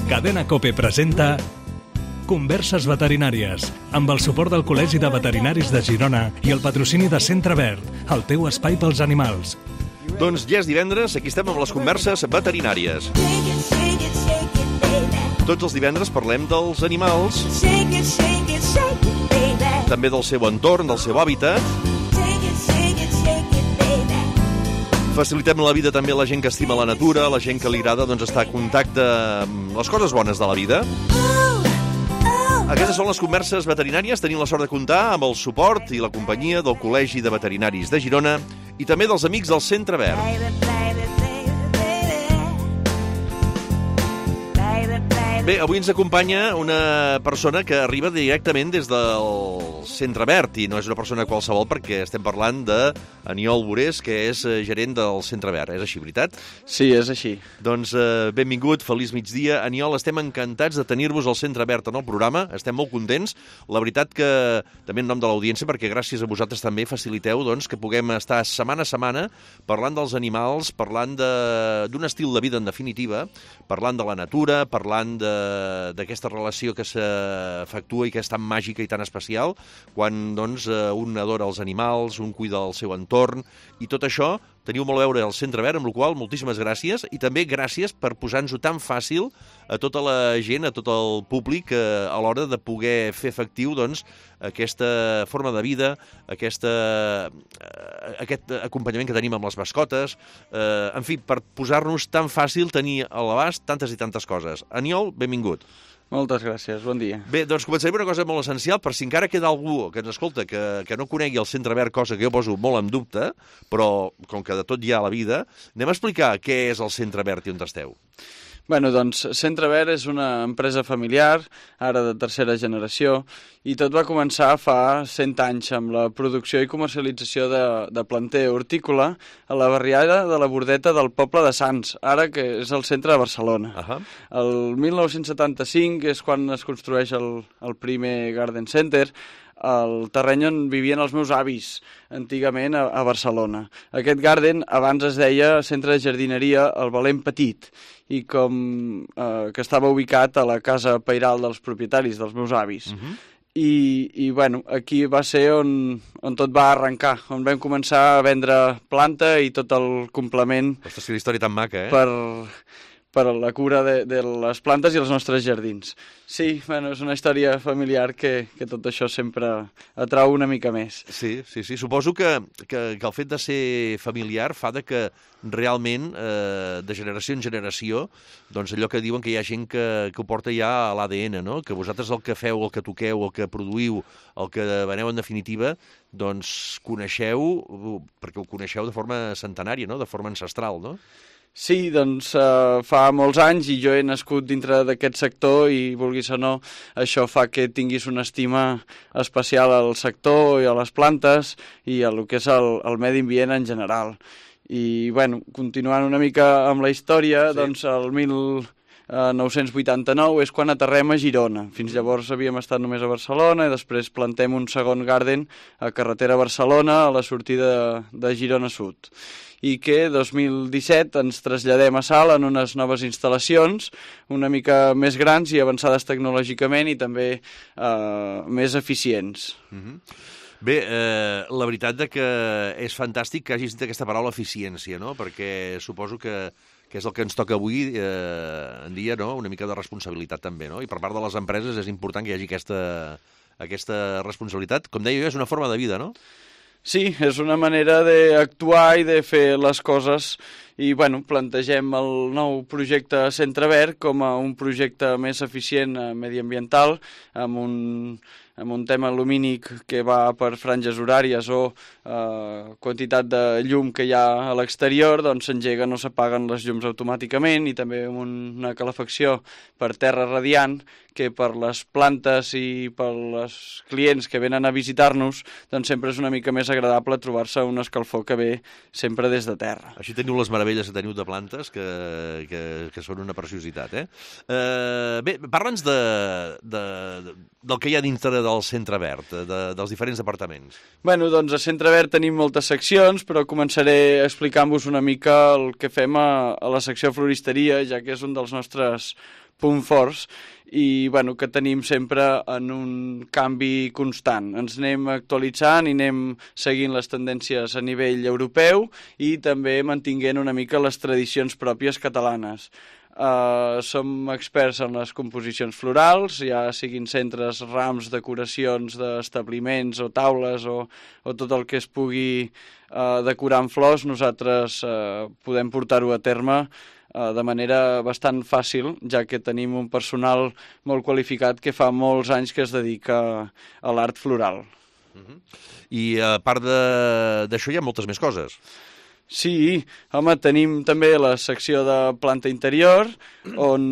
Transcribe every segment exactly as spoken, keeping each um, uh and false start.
Cadena COPE presenta Converses veterinàries, amb el suport del Col·legi de Veterinaris de Girona i el patrocini de Centre Verd, el teu espai pels animals. Doncs ja és divendres, aquí estem amb les converses veterinàries. Tots els divendres parlem dels animals, també del seu entorn, del seu hàbitat. Facilitem la vida també a la gent que estima la natura, a la gent que li agrada doncs, estar en contacte amb les coses bones de la vida. Aquestes són les converses veterinàries. Tenim la sort de comptar amb el suport i la companyia del Col·legi de Veterinaris de Girona i també dels amics del Centre Verd. Bé, avui ens acompanya una persona que arriba directament des del Centre Verd i no és una persona qualsevol perquè estem parlant d'Aniol Borés, que és gerent del Centre Verd. És així, veritat? Sí, és així. Doncs eh, benvingut, feliç migdia. Aniol, estem encantats de tenir-vos al Centre Verd en el programa, estem molt contents. La veritat que, també en nom de l'audiència, perquè gràcies a vosaltres també faciliteu doncs, que puguem estar setmana a setmana parlant dels animals, parlant d'un estil de vida en definitiva, parlant de la natura, parlant de d'aquesta relació que s'efectua i que és tan màgica i tan especial quan doncs, un adora els animals, un cuida del seu entorn i tot això teniu molt a veure al Centre Verd, amb la qual cosa moltíssimes gràcies i també gràcies per posar-nos-ho tan fàcil a tota la gent, a tot el públic eh, a l'hora de poder fer efectiu doncs, aquesta forma de vida, aquesta, eh, aquest acompanyament que tenim amb les mascotes, eh, en fi, per posar-nos tan fàcil tenir a l'abast tantes i tantes coses. Aniol, benvingut. Moltes gràcies, bon dia. Bé, doncs començarem una cosa molt essencial, per si encara queda algú que ens escolta que, que no conegui el Centre Verd, cosa que jo poso molt en dubte, però com que de tot hi ha a la vida, anem a explicar què és el Centre Verd i on esteu. Bueno, doncs Centre Verd és una empresa familiar, ara de tercera generació, i tot va començar fa cent anys amb la producció i comercialització de, de planter hortícola a la barriada de la Bordeta del poble de Sants, ara que és el centre de Barcelona. Uh-huh. El mil nou-cents setanta-cinc és quan es construeix el, el primer Garden Center, el terreny on vivien els meus avis antigament a, a Barcelona. Aquest garden abans es deia Centre de Jardineria El Valent Petit i com eh, que estava ubicat a la casa pairal dels propietaris, dels meus avis. Uh-huh. I, i bueno, aquí va ser on, on tot va arrencar, on vam començar a vendre planta i tot el complement. Ostres, que història tan maca, eh? Per... per a la cura de, de les plantes i els nostres jardins. Sí, bueno, és una història familiar que, que tot això sempre atrau una mica més. Sí, sí, sí. Suposo que, que, que el fet de ser familiar fa de que realment, eh, de generació en generació, doncs allò que diuen que hi ha gent que, que ho porta ja a l'A D N, no? Que vosaltres el que feu, el que toqueu, el que produïu, el que veneu en definitiva, doncs coneixeu, perquè ho coneixeu de forma centenària, no? De forma ancestral, no? Sí, doncs uh, fa molts anys i jo he nascut dintre d'aquest sector i, vulguis o no, això fa que tinguis una estima especial al sector i a les plantes i a lo que és el, el medi ambient en general. I, bueno, continuant una mica amb la història, sí. Doncs el mil nou-cents vuitanta-nou és quan aterrem a Girona. Fins llavors havíem estat només a Barcelona i després plantem un segon garden a carretera Barcelona a la sortida de, de Girona Sud. I que dos mil disset ens traslladem a Salt en unes noves instal·lacions una mica més grans i avançades tecnològicament i també eh, més eficients. Mm-hmm. Bé, eh, la veritat de que és fantàstic que hagis dit aquesta paraula eficiència, no? Perquè suposo que, que és el que ens toca avui eh, en dia, no? Una mica de responsabilitat també, no? I per part de les empreses és important que hi hagi aquesta, aquesta responsabilitat. Com deia jo, és una forma de vida, no? Sí, és una manera d'actuar i de fer les coses i, bueno, plantegem el nou projecte Centre Verd com a un projecte més eficient mediambiental amb un, amb un tema lumínic que va per franges horàries o eh, quantitat de llum que hi ha a l'exterior, doncs s'engeguen o s'apaguen les llums automàticament i també amb una calefacció per terra radiant que per les plantes i per els clients que venen a visitar-nos doncs sempre és una mica més agradable trobar-se una escalfor que ve sempre des de terra. Així teniu les meravelles meravelles que teniu de plantes que, que, que són una preciositat, eh? eh bé, parla'ns de, de, del que hi ha dintre del Centre Verd, de, dels diferents departaments. Bueno, doncs a Centre Verd tenim moltes seccions, però començaré explicant-vos una mica el que fem a, a la secció floristeria, ja que és un dels nostres punts forts, i bueno, que tenim sempre en un canvi constant. Ens anem actualitzant i anem seguint les tendències a nivell europeu i també mantinguent una mica les tradicions pròpies catalanes. Uh, som experts en les composicions florals, ja siguin centres, rams, decoracions d'establiments o taules o, o tot el que es pugui uh, decorar amb flors, nosaltres uh, podem portar-ho a terme uh, de manera bastant fàcil, ja que tenim un personal molt qualificat que fa molts anys que es dedica a l'art floral. Uh-huh. I a part d'això hi ha moltes més coses. Sí, home, tenim també la secció de planta interior, on,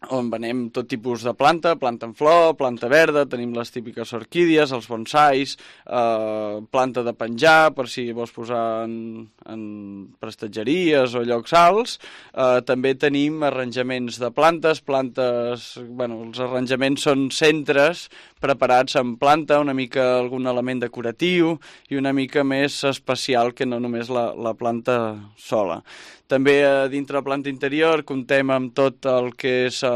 on venem tot tipus de planta, planta en flor, planta verda, tenim les típiques orquídies, els bonsais, eh, planta de penjar, per si vols posar en, en prestatgeries o llocs alts. Eh, també tenim arranjaments de plantes, plantes, bueno, els arranjaments són centres preparats en planta, una mica algun element decoratiu i una mica més especial que no només la, la planta sola. També eh, dintre la planta interior comptem amb tot el que és eh,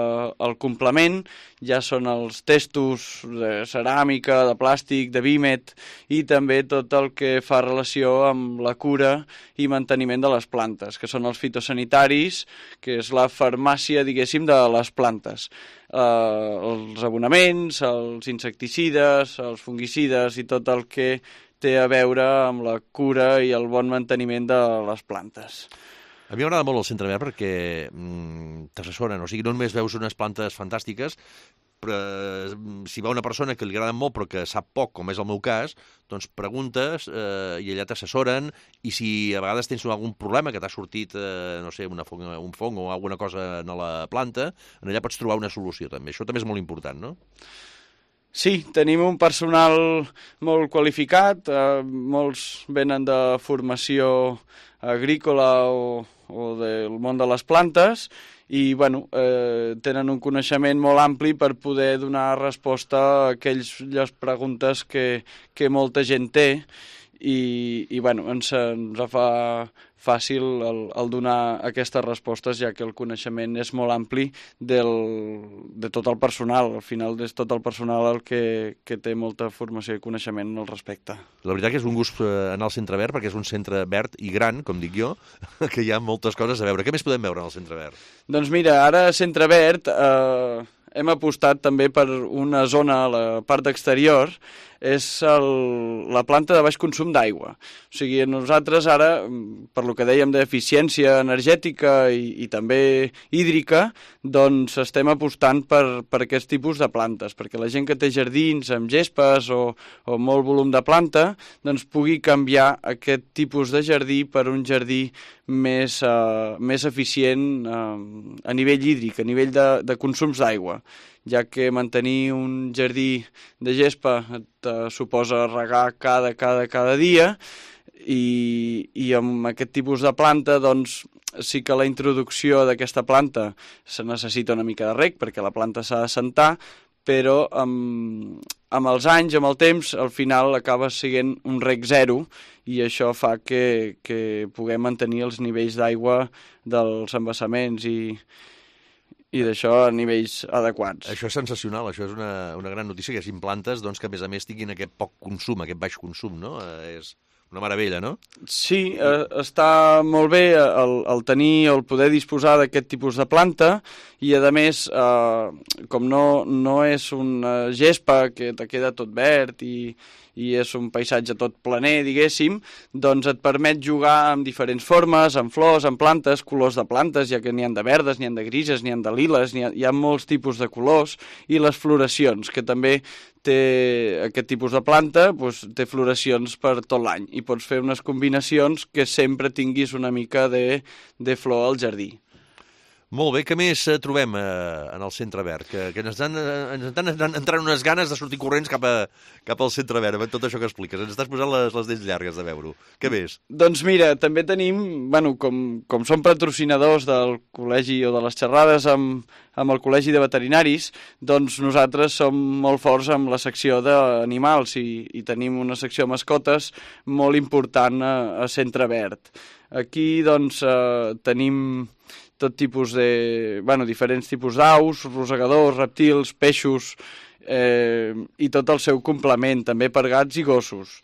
el complement, ja són els testos de ceràmica, de plàstic, de vímet i també tot el que fa relació amb la cura i manteniment de les plantes, que són els fitosanitaris, que és la farmàcia, diguéssim, de les plantes. Uh, els abonaments, els insecticides, els fungicides i tot el que té a veure amb la cura i el bon manteniment de les plantes. A mi m'agrada molt el Centre Verd perquè mm, t'assessoren, o sigui, no només veus unes plantes fantàstiques, però si va una persona que li agrada molt però que sap poc, com és el meu cas, doncs preguntes eh, i allà t'assessoren, i si a vegades tens algun problema que t'ha sortit, eh, no sé, una fong, un fong o alguna cosa en la planta, allà pots trobar una solució també. Això també és molt important, no? Sí, tenim un personal molt qualificat, eh, molts venen de formació agrícola o, o del món de les plantes i bueno, eh, tenen un coneixement molt ampli per poder donar resposta a aquelles preguntes que, que molta gent té i, i bueno, ens, ens fa fàcil el, el donar aquestes respostes, ja que el coneixement és molt ampli del, de tot el personal. Al final és tot el personal el que, que té molta formació i coneixement al respecte. La veritat que és un gust anar al Centre Verd, perquè és un centre verd i gran, com dic jo, que hi ha moltes coses a veure. Què més podem veure al Centre Verd? Doncs mira, ara a Centre Verd eh, hem apostat també per una zona a la part exterior, és el, la planta de baix consum d'aigua. O sigui, nosaltres ara, per lo que dèiem d'eficiència energètica i, i també hídrica, doncs estem apostant per, per aquest tipus de plantes, perquè la gent que té jardins amb gespes o, o molt volum de planta, doncs pugui canviar aquest tipus de jardí per un jardí més, uh, més eficient uh, a nivell hídric, a nivell de, de consums d'aigua, ja que mantenir un jardí de gespa et uh, suposa regar cada, cada, cada dia i, i amb aquest tipus de planta doncs sí que la introducció d'aquesta planta se necessita una mica de reg perquè la planta s'ha d'assentar, però amb, amb els anys, amb el temps, al final acaba sent un reg zero i això fa que, que puguem mantenir els nivells d'aigua dels embassaments i i d'això a nivells adequats. Això és sensacional, això és una, una gran notícia, que hi hagi plantes doncs, que a més a més tinguin aquest poc consum, aquest baix consum, no? Eh, és una meravella, no? Sí, eh, està molt bé el, el tenir o el poder disposar d'aquest tipus de planta i a més, eh, com no, no és una gespa que te queda tot verd i i és un paisatge tot planer, diguéssim, doncs et permet jugar amb diferents formes, amb flors, amb plantes, colors de plantes, ja que n'hi ha de verdes, n'hi ha de grises, n'hi ha de liles, n'hi ha, hi ha molts tipus de colors, i les floracions, que també té aquest tipus de planta, doncs, té floracions per tot l'any, i pots fer unes combinacions que sempre tinguis una mica de, de flor al jardí. Molt bé, què més trobem eh, en el Centre Verd? Que, que ens estan, ens estan entrant unes ganes de sortir corrents cap, a, cap al Centre Verd, amb tot això que expliques. Ens estàs posant les, les dents llargues de veure-ho. Què més? Doncs mira, també tenim, bueno, com, com som patrocinadors del col·legi o de les xerrades amb, amb el Col·legi de Veterinaris, doncs nosaltres som molt forts amb la secció d'animals i, i tenim una secció mascotes molt important a, a Centre Verd. Aquí, doncs, eh, tenim tot tipus de, bueno, diferents tipus d'aus, rosegadors, reptils, peixos, eh, i tot el seu complement, també per gats i gossos.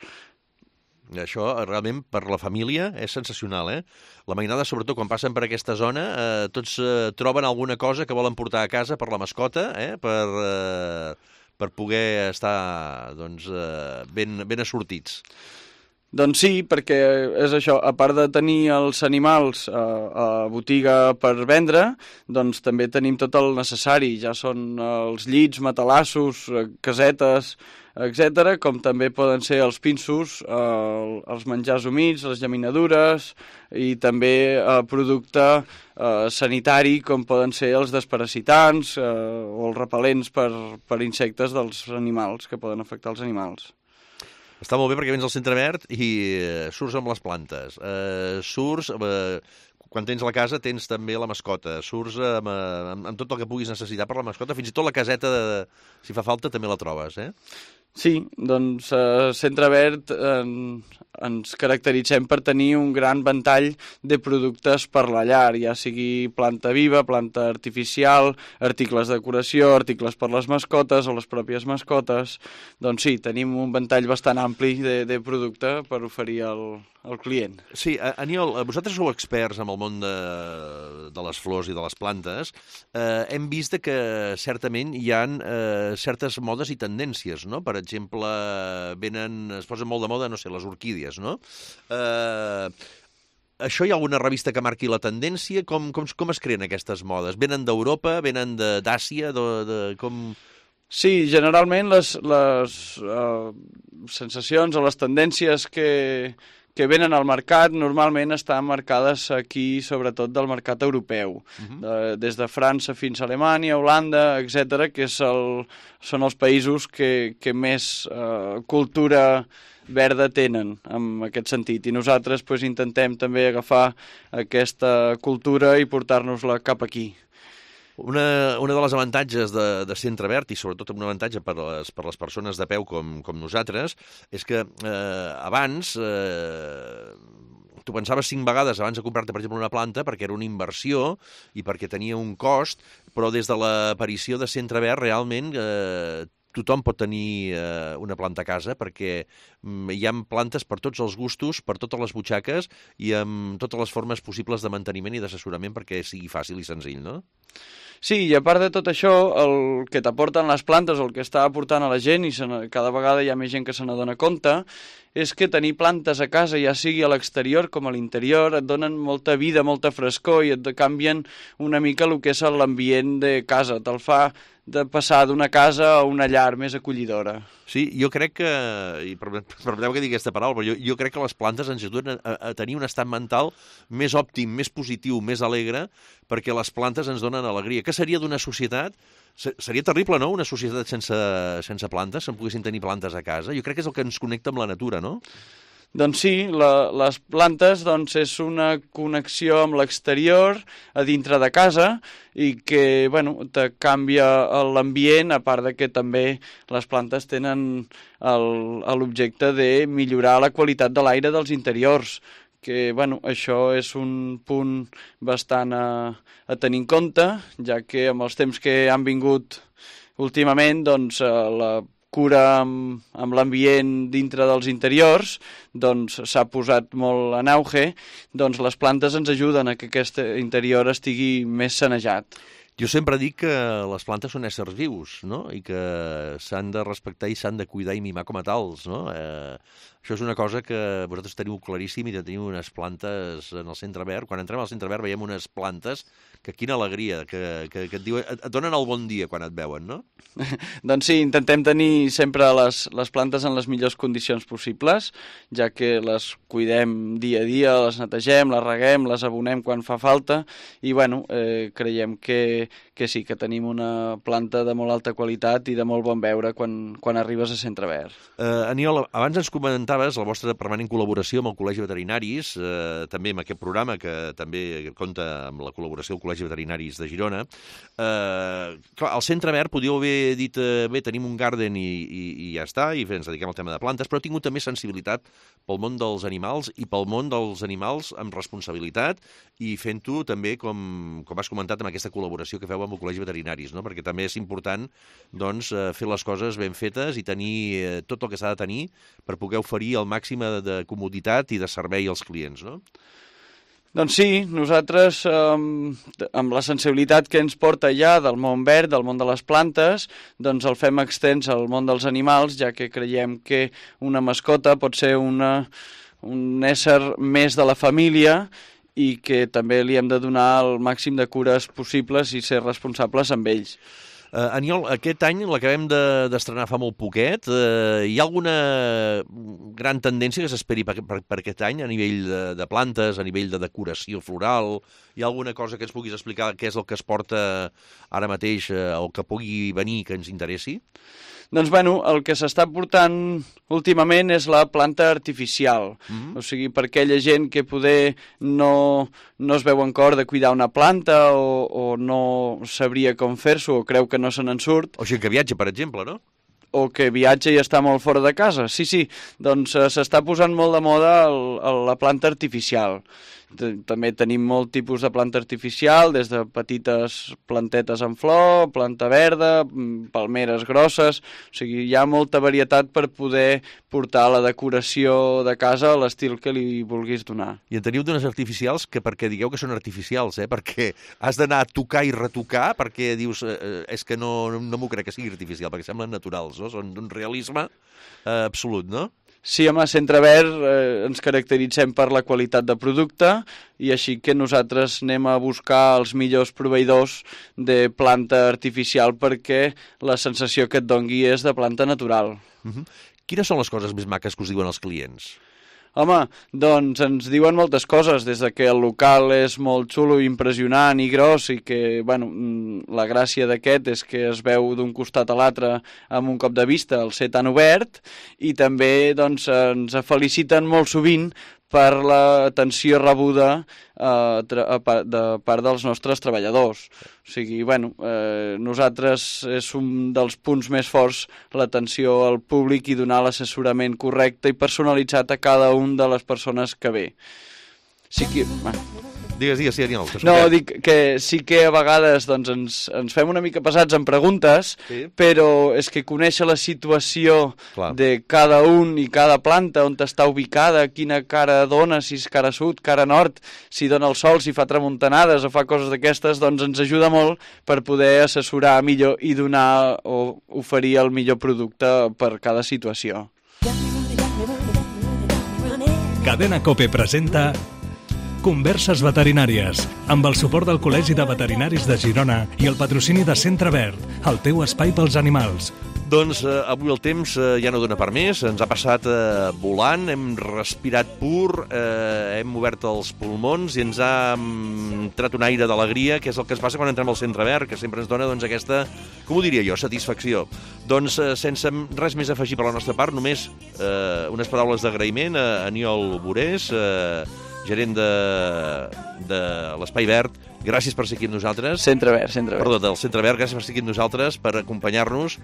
Això, realment, per la família és sensacional, eh? La mainada, sobretot, quan passen per aquesta zona, eh, tots eh, troben alguna cosa que volen portar a casa per la mascota, eh? Per, eh, per poder estar, doncs, eh, ben, ben assortits. Doncs sí, perquè és això, a part de tenir els animals a, a botiga per vendre, doncs també tenim tot el necessari, ja són els llits, matalassos, casetes, etcètera, com també poden ser els pinsos, eh, els menjars humits, les llaminadures i també eh, producte eh, sanitari com poden ser els desparasitants eh, o els repel·lents per, per insectes dels animals que poden afectar els animals. Està molt bé perquè vens al Centre Verd i eh, surts amb les plantes, eh, surts, eh, quan tens la casa tens també la mascota, surts amb, amb, amb tot el que puguis necessitar per la mascota, fins i tot la caseta, de, si fa falta, també la trobes, eh? Sí, doncs a Centre Verd eh, ens caracteritzem per tenir un gran ventall de productes per la llar, ja sigui planta viva, planta artificial, articles de decoració, articles per les mascotes o les pròpies mascotes. Doncs sí, tenim un ventall bastant ampli de, de producte per oferir al, al client. Sí, Aniol, vosaltres sou experts en el món de, de les flors i de les plantes. Eh, hem vist que certament hi ha eh, certes modes i tendències, no? Per exemple, venen, es posen molt de moda, no sé, les orquídies, no? Eh, això hi ha alguna revista que marqui la tendència? Com, com, com es creen aquestes modes? Venen d'Europa? Venen d'Àsia? De, de, com... Sí, generalment les, les uh, sensacions o les tendències que, que venen al mercat normalment estan marcades aquí, sobretot del mercat europeu, uh-huh. de, des de França fins a Alemanya, Holanda, etcètera, que és el, són els països que, que més uh, cultura verda tenen en aquest sentit. I nosaltres pues, intentem també agafar aquesta cultura i portar-nos-la cap aquí. Una, una de les avantatges de, de Centre Verd, i sobretot un avantatge per les, per les persones de peu com, com nosaltres, és que eh, abans eh, tu pensaves cinc vegades abans de comprar-te, per exemple, una planta perquè era una inversió i perquè tenia un cost, però des de l'aparició de Centre Verd realment eh, tothom pot tenir eh, una planta a casa perquè mm, hi ha plantes per tots els gustos, per totes les butxaques i amb totes les formes possibles de manteniment i d'assessorament perquè sigui fàcil i senzill, no? Sí, i a part de tot això, el que t'aporten les plantes o el que està aportant a la gent, i cada vegada hi ha més gent que se n'adona compte, és que tenir plantes a casa, ja sigui a l'exterior com a l'interior, et donen molta vida, molta frescor i et canvien una mica el que és l'ambient de casa, te'l fa de passar d'una casa a una llar més acollidora. Sí, jo crec que, i permeteu que digui aquesta paraula, però jo, jo crec que les plantes ens ajuden a, a tenir un estat mental més òptim, més positiu, més alegre, perquè les plantes ens donen alegria. Què seria d'una societat? Seria terrible, no?, una societat sense, sense plantes, si en poguessin tenir plantes a casa. Jo crec que és el que ens connecta amb la natura, no? Doncs sí, la, les plantes doncs, és una connexió amb l'exterior, a dintre de casa, i que bueno, te canvia l'ambient, a part de que també les plantes tenen l'objecte de millorar la qualitat de l'aire dels interiors, que bueno, això és un punt bastant a, a tenir en compte, ja que amb els temps que han vingut últimament, doncs la cura amb, amb l'ambient dintre dels interiors, doncs s'ha posat molt en auge, doncs les plantes ens ajuden a que aquest interior estigui més sanejat. Jo sempre dic que les plantes són éssers vius, no?, i que s'han de respectar i s'han de cuidar i mimar com a tals, no? Eh, això és una cosa que vosaltres teniu claríssim i teniu unes plantes en el Centre Verd. Quan entrem al Centre Verd veiem unes plantes que quina alegria, que, que, que et, diuen, et donen el bon dia quan et veuen, no? Doncs sí, intentem tenir sempre les, les plantes en les millors condicions possibles, ja que les cuidem dia a dia, les netegem, les reguem, les abonem quan fa falta, i bueno, eh, creiem que, que sí, que tenim una planta de molt alta qualitat i de molt bon veure quan, quan arribes a Centre Verd. Uh, Aniol, abans ens comentaves la vostra permanent col·laboració amb el Col·legi Veterinaris, eh, també amb aquest programa que també compta amb la col·laboració del Col·legi Veterinaris de Girona. Eh, clar, al Centre Verd podíeu haver dit, eh, bé, tenim un garden i, i, i ja està, i ens dediquem al tema de plantes, però ha tingut també sensibilitat pel món dels animals i pel món dels animals amb responsabilitat i fent-ho també, com, com has comentat, amb aquesta col·laboració que feu amb el Col·legi Veterinaris, no? Perquè també és important doncs, fer les coses ben fetes i tenir eh, tot el que s'ha de tenir per poder oferir el màxim de comoditat i de servei als clients, no? Doncs sí, nosaltres, eh, amb la sensibilitat que ens porta ja del món verd, del món de les plantes, doncs el fem extens al món dels animals, ja que creiem que una mascota pot ser una, un ésser més de la família i que també li hem de donar el màxim de cures possibles i ser responsables amb ells. Uh, Aniol, aquest any l'acabem d'estrenar fa molt poquet. Uh, hi ha alguna gran tendència que s'esperi per, per, per aquest any a nivell de, de plantes, a nivell de decoració floral? Hi ha alguna cosa que ens puguis explicar què és el que es porta ara mateix uh, o que pugui venir que ens interessi? Doncs, bueno, el que s'està portant últimament és la planta artificial. Mm-hmm. O sigui, per aquella gent que poder no, no es veu en cor de cuidar una planta o, o no sabria com fer-s'ho o creu que no se n'en surt. O gent que viatja, per exemple, no? O que viatja i està molt fora de casa. Sí, sí, doncs eh, s'està posant molt de moda el, el, la planta artificial. També tenim molt tipus de planta artificial, des de petites plantetes en flor, planta verda, palmeres grosses, o sigui, hi ha molta varietat per poder portar la decoració de casa a l'estil que li vulguis donar. I en teniu d'unes artificials que perquè digueu que són artificials, eh? Perquè has d'anar a tocar i retocar, perquè dius, eh, és que no, no m'ho crec que sigui artificial, perquè semblen naturals, no? Són d'un realisme eh, absolut, no? Sí, home, a Centre Verd eh, ens caracteritzem per la qualitat de producte i així que nosaltres anem a buscar els millors proveïdors de planta artificial perquè la sensació que et dongui és de planta natural. Uh-huh. Quines són les coses més maques que us diuen els clients? Home, doncs ens diuen moltes coses, des de que el local és molt xulo, impressionant i gros i que, bueno, la gràcia d'aquest és que es veu d'un costat a l'altre amb un cop de vista al ser tan obert i també doncs, ens feliciten molt sovint per l'atenció rebuda eh, de part dels nostres treballadors. O sigui, bueno, eh, nosaltres és un dels punts més forts l'atenció al públic i donar l'assessorament correcte i personalitzat a cada una de les persones que ve. Sí que... Digues, digues, sí, Aniol. No, dic que sí que a vegades doncs, ens, ens fem una mica pesats en preguntes, sí. Però és que conèixer la situació Clar. De cada un i cada planta, on està ubicada, quina cara dona, si és cara sud, cara nord, si dona el sol, si fa tramuntanades o fa coses d'aquestes, doncs ens ajuda molt per poder assessorar millor i donar o oferir el millor producte per cada situació. Cadena COPE presenta Converses veterinàries, amb el suport del Col·legi de Veterinaris de Girona i el patrocini de Centre Verd, el teu espai pels animals. Doncs eh, avui el temps eh, ja no dona per més, ens ha passat eh, volant, hem respirat pur, eh, hem obert els pulmons i ens ha mm, tret un aire d'alegria, que és el que ens passa quan entrem al Centre Verd, que sempre ens dona doncs, aquesta, com ho diria jo, satisfacció. Doncs eh, sense res més a afegir per la nostra part, només eh, unes paraules d'agraïment a Aniol Borés, eh, gerent de, de l'Espai Verd. Gràcies per ser aquí amb nosaltres. Centre Verd, Centre Verd. Perdó, del Centre Verd, gràcies per ser aquí amb nosaltres, per acompanyar-nos,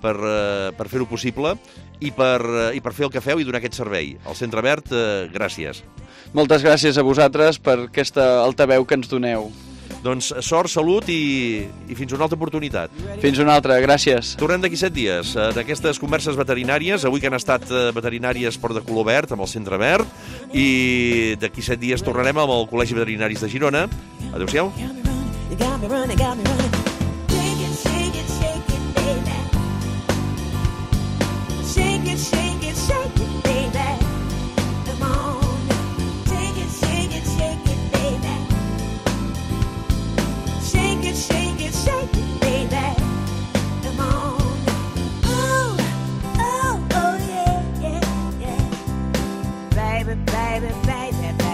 per, uh, per fer-ho possible i per, uh, i per fer el que feu i donar aquest servei. Al Centre Verd, uh, gràcies. Moltes gràcies a vosaltres per aquesta altaveu que ens doneu. Doncs sort, salut i, i fins una altra oportunitat. Fins una altra, gràcies. Tornem d'aquí set dies d'aquestes converses veterinàries, avui que han estat veterinàries per de color verd, amb el Centre Verd, i d'aquí set dies tornarem amb el Col·legi Veterinaris de Girona. Adéu-siau. baby, baby, baby,